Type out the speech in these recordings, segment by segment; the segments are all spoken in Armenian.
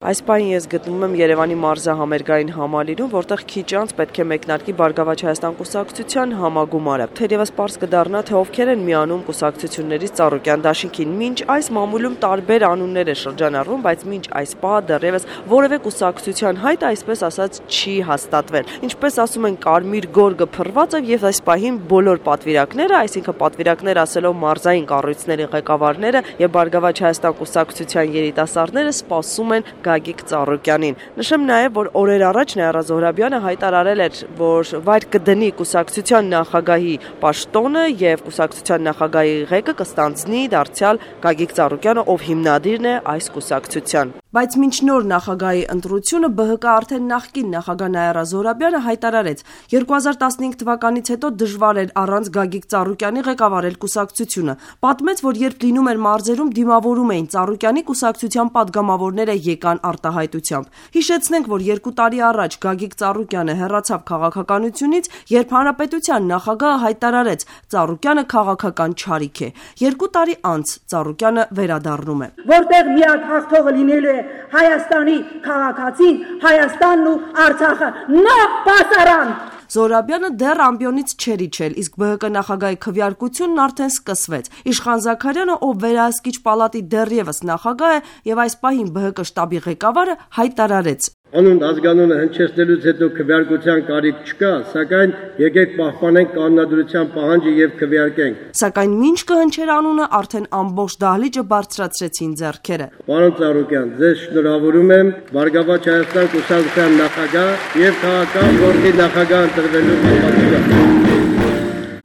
Այս պահին ես գտնվում եմ Երևանի մարզահամերգային համալիրում, որտեղ քիչ անց պետք է մեկնարկի Բարգավաճ Հայաստան կուսակցության համագումարը։ Թերևս պարզ կդառնա, թե ովքեր են միանում կուսակցություններից Ծառուկյան դաշինքին։ Մինչ այս մամուլում տարբեր անուններ է շրջանառվում, բայց մինչ այս պահը դեռևս որևէ կուսակցության հայտ, այսպես ասած, չի հաստատվել։ Ինչպես ասում են, կարմիր գորգը փռված է եւ այս պահին բոլոր պատվիրակները, այսինքն պատվիրակներ ասելով մարզային կառույցների ղեկավարները եւ Բարգավաճ Հայաստան կուսակցության երիտասարդները սպասում են Գագիկ Ծառուկյանին։ Նշեմ նաև, որ օրեր առաջ Նաիրա Զոհրաբյանը հայտարարել էր, որ վայր կդնի կուսակցության նախագահի պաշտոնը եւ կուսակցության նախագահի ղեկը կստանձնի դարձյալ Գագիկ Ծառուկյանը, ով հիմնադիրն է այս կուսակցության։ Բայց մինչ նոր նախագահի ընտրությունը ԲՀԿ արդեն նախկին նախագահ Նաիրա Զոհրաբյանը հայտարարեց, 2015 թվականից հետո դժվար էր առանց Գագիկ Ծառուկյանի ղեկավարել կուսակցությունը։ Պատմեց, որ երբ լինում էր մարզերում, դիմավորում էին Ծառուկյանի կուսակցության падգամավորները եկան արտահայտությամբ։ Հիշեցնենք, որ 2 տարի առաջ Գագիկ Ծառուկյանը հեռացավ քաղաքականությունից, երբ հանրապետության նախագահը հայտարարեց, Ծառուկյանը քաղաքական չարիք է։ 2 տարի անց Ծառուկյանը վերադառնում է։ Որտեղ միակ հաղթողը լինելու է Հայաստանի քաղաքացին, Հայաստանն ու Արցախը, նա պասարան։ Զոհրաբյանը դեռ ամբիոնից չէր իջել, իսկ ԲՀԿ նախագահի քվեարկությունն արդեն սկսվեց։ Իշխան Զաքարյանը, ով վերահսկիչ պալատի դեռևս նախագահ է եւ այս պահին ԲՀԿ շտաբի ղեկավարը, հայտարարեց. Անուն ազգանունը հնչեցնելուց հետո քվեարկության կարիք չկա, սակայն եկեք պահպանենք կանոնադրության պահանջը եւ քվեարկենք։ Սակայն մինչ կհնչեր անունը, արդեն ամբողջ դահլիճը բարձրացրեցին ձեռքերը։ Պարոն Ծառուկյան, ձեզ շնորհավորում եմ Բարգավաճ Հայաստան կուսակցության նախագահ եւ քաղաքական գործի նախագահ ընտրվելու պատասխանատու։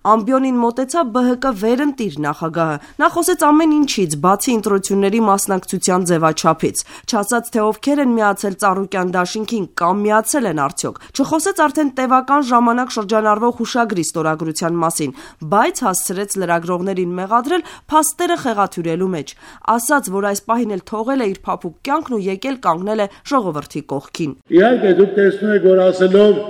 Ամբիոնին մոտեցավ ԲՀԿ վերընտիր նախագահը։ Նա խոսեց ամեն ինչից, բացի ընտրությունների մասնակցության ձևաչափից։ Չասաց, թե ովքեր են միացել Ծառուկյան դաշինքին կամ միացել են արդյոք։ Չխոսեց արդեն տևական ժամանակ շրջանառվող հուշագրի ստորագրության մասին, բայց հասցրեց լրագրողներին մեղադրել փաստերը խեղաթյուրելու մեջ։ Ասաց, որ այս պահին էլ թողել է իր փափուկ կյանքն ու եկել կանգնել է ժողովրդի կողքին։ Իհարկե դուք տեսնում եք, որ ասելով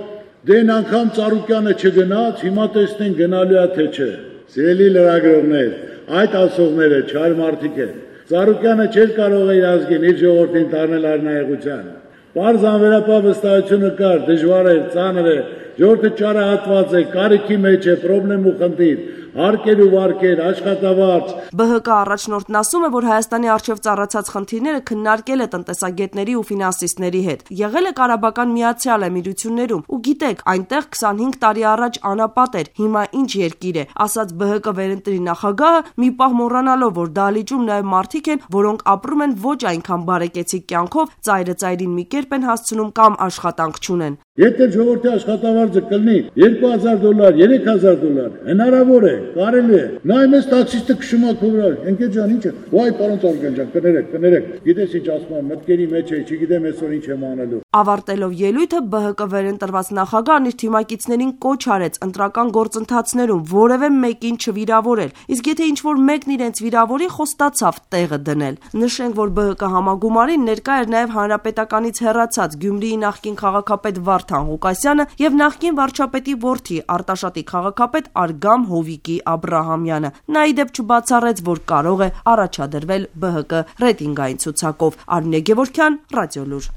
դեն անգամ Ծառուկյանը չգնաց, հիմա տեսնեն գնալու է թե չէ։ Սիրելի լրագրողներ, այդ ասողները չար մարդիկ են։ Ծառուկյանը չէր կարող իր ազգին, իր ժողովրդին տանել արնայեղության։ Պարզ անվերապահ վստահությունը կար, դժվար էր, ծանր է, ժողովուրդը ճարահատված է, կարիքի մեջ է, խնդրեմ ու խնդիր։ Հարկեր ու վարկեր, աշխատավարձ։ ԲՀԿ առաջնորդն ասում է, որ Հայաստանի առջև ծառացած խնդիրները քննարկել է տնտեսագետների ու ֆինանսիստների հետ։ Եղել է Ղարաբաղյան Միացյալ Էմիրություններում ու գիտեք, այնտեղ 25 տարի առաջ անապատ էր, հիմա ինչ երկիր է, ասաց ԲՀԿ վերընտրի նախագահը, մի պահ մոռանալով, որ դահլիճում նաև մարդիկ են, որոնք ապրում են ոչ այնքան բարեկեցիկ կյանքով, ծայրը ծայրին մի կերպ են հասցնում կամ աշխատանք չունեն։ Եթե ժողովրդի աշխատավարձը կլինի $2000, $3000, հնարավոր է, կարելի է։ Նայ մեզ տաքսիստը քշում է քովրալ, ընկեր ջան, ինչ է։ Վայ, պարոն Ծառուկյան ջան, կներեք։ Գիտես ինչ ասում եմ, մտքերի մեջ է, չգիտեմ այսօր ինչ եմ անելու։ Ավարտելով ելույթը ԲՀԿ վերընտրված նախագահն իր թիմակիցներին կոչ արեց ընտրական գործընթացներում որևէ մեկին չվիրավորել, իսկ եթե ինչ-որ մեկն իրենց վիրավորի, խոստացավ տեղը դնել։ Նշենք, որ ԲՀԿ համագումարին ներկա էր նաև հանրապետականից հեռացած Գյումրիի նախկին քաղաքապետ Վարդան Ղուկասյանը եւ նախկին վարչապետի որդի Արտաշատի քաղաքապետ Արգամ Հովիկի Աբրահամյանը։ Նա ի դեպ չբացառեց, որ կարող է առաջադրվել ԲՀԿ ռեյտինգային ցուցակով։ Արմինե Գևորգյան, Ռադիոլուր։